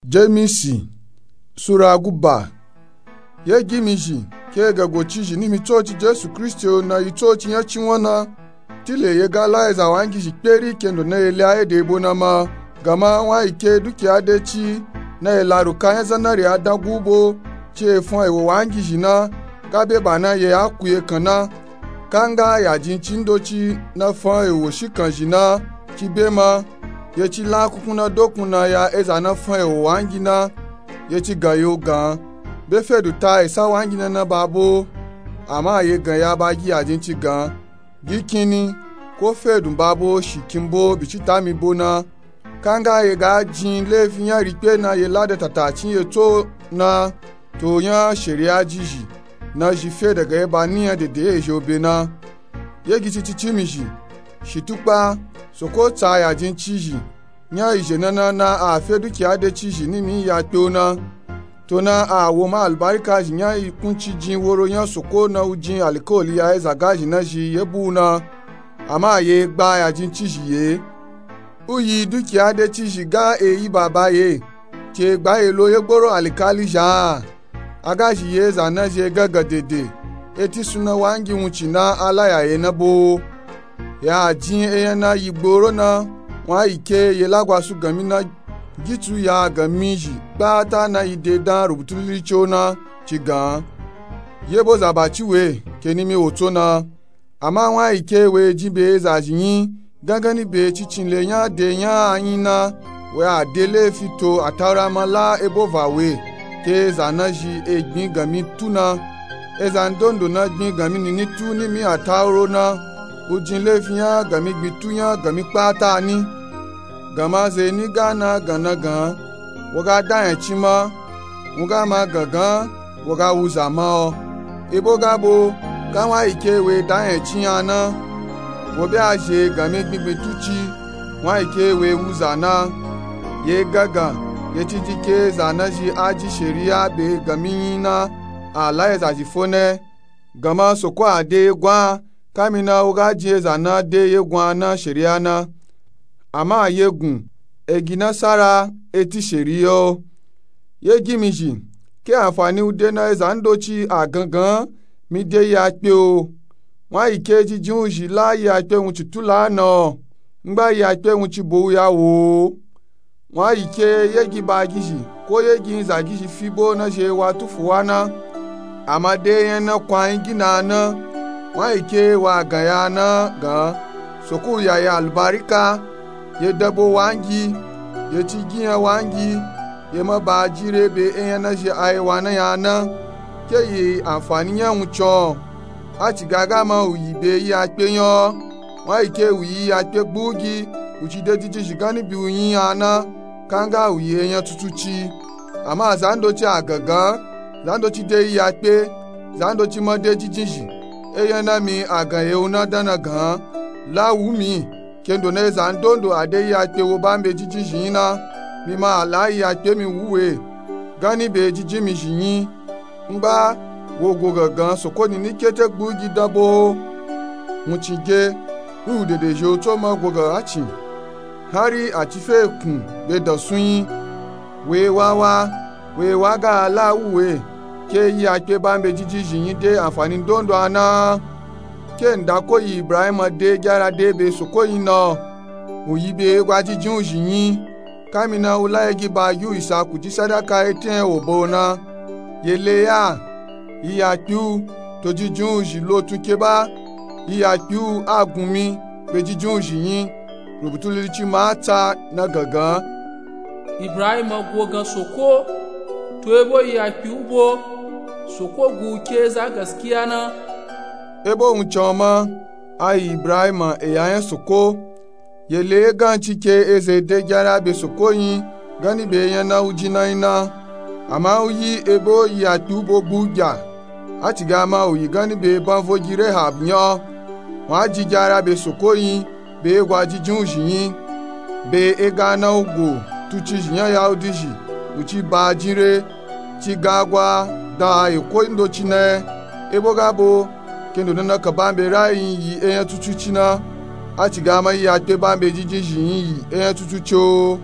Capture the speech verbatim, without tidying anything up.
Jemisi sura guba. Ye gimizhi ke ga gocizhi nimi tsoci jesu kristi o na yi tsoci nya cinwa na. Tile ye ga la eza wangizhi kperi kendo na ye le aye de ebo na ma. Gama wa yi ke dukiya de ci na ye laru ka nya zanari adan gubo ci efun ewo wangizhi na. Ga be ba na ye aku ye kan na. Kanga ya jin ci ndoci na fan ewo shi kanzhi na. Ci be ma ye ci la kunkun na dokun na ya eza na fan ewo wangi na. Ye ci gan yo gan be fedu ta esa wangi na na babo. Ama ye gan ya ba gi ya jin ci gan gi kini ko fedu babo shi kin bo bi ci ta mi bo na. Kanga ye ga jin lefi nya rikpe na ye lada tata cin ye tso na. To nya sheriya jizhi na zhi fe daga ye ba ni nya dede ye zhi obe na. Ye gi ci ci ci mizhi shi tukpa soko tsa ya jin cizhi. Nya izhe na na na a fe dukiya de cizhi nimi ya kpe o na. To na a wo ma albarika zhi nya yi kunci jin woro nya soko na u jin alikoli ya eza gazhi na zhi ye bu u na. Ama ye gba ya jin cizhi ye u yi dukiya de cizhi ga e yi baba ye. Te gba ye lo ye gboro alikali zha a. A ga zhi ye eza na zhi e gangan dede. Eti suna wangi wunci na a la ya ye na bo. Ya jin enya na yi gboro na. Wa yi ke ye lagwa su gami na gitsu ya gami zhi kpata na yi de dan rubutu lili co na. Ci gan ye bo zaba ci we ke nimi wo tso na. Ama wa yi ke we jin be eza zhi yin gangani be cicin le nya de nya a yin na. We a de lefi to ataura ma la ebo va we ke eza na zhi e gbin gami tu na. Eza ndondo na gbin gami nini tu nimi atauro na. U jin lefi nya gami gbin tu nya gami kpata ni. Gama ze ni ga na gan na gan wo ga da nya ci ma. Wo ga ma gangan wo ga wuza ma o. Ebo ga bo ka wa yi ke we da nya ci nya na. Wo be a zhe gami gbingbin tu ci wa yi ke we wuza na. Ye gangan ye ci ji ke eza na zhi a ji sheriya be gami yin na. A la eza zhi fo ne. Gama soko a de ye gwan kami na wo ga jin eza na de ye gwan na sheriya na. Ama ye gun egi nasara eti sheriya o. Ye gimizhi ke anfani u de na eza ndoci a gangan mi de yi akpe o. Wa yi ke jijin u zhi la yi akpe wunci tu la na o. Ngba yi akpe wunci bo u ya wo o. Wa yi ke ye gi ba gizhi ko ye gi nza gizhi fi bo na zhi e wa tufu wa na. Ama de enya na kwan yin gi na na. Wa yi ke wa gan ya na gan soko u ya ye albarika. Ye dabo wangi ye ci gi nya wangi ye ma ba jin re be enya na zhi a ye wa na ya na. Ke yi anfani nya wunci o. A ci ga ga ma u yi be yi akpe nya o. Wa yi ke u yi yi akpe gbugi u ci de jijin zhi gani bi u yin ya na. Kanga u yi enya tutu ci. Ama za ndoci a gangan za ndoci de yi akpe za ndoci ma de jijin zhi. Enya na mi a gan ye u na dan na gan la wu mi. Kendo na eza ndondo a de yi akpe wo ba mi be jijin zhi yin na. Mi ma a la yi akpe mi wu we gani be jijin mizhi yin. Ngba wo go gangan soko nini kete gbugi dan bo o. Wunci ge wi u dede zhi o tso ma go gangan cin. Hari a ci fe kun be dan sun yin. We wa wa we wa ga a la wu we ke yi akpe ba mi be jijin zhi yin de anfani ndondo a na. Ke nda ko yi ibrahima de gyara de be soko yin na o. U yi be gwa jijin u zhi yin. Kami na u la ye gi ba gi u isaku ji sadaka eten ewo ba o na. Ye le ya yi akpe u to jijin u zhi lo tun ke ba yi akpe u a gun mi be jijin u zhi yin. Rubutu lili ci ma a tsa na gangan ibrahima go gan soko to ebo yi akpe u bo soko gu u ke za gaskiya na. Ebo wuncan ma a yi ibrahima eya nya soko. Ye le ye gan ci ke eza de gyara be soko yin gani be enya na u ji na yin na. Ama u yi ebo yi akpe u bo gbu gya. A ci ga ma u yi gani be banvo gi rehab nya o. Wa ji gyara be soko yin be ye gwa jijin u zhi yin. Be e ga na u go tu cizhi nya yahudi zhi u ci ba jin re. Ci ga gwa da a yi ko ndoci na ye. Ebo ga bo kendo na na ka ba mi be ra yin yi enya tutu ci na. A ci ga ma yi akpe ba mi be jijin zhi yin yi enya tutu ci o.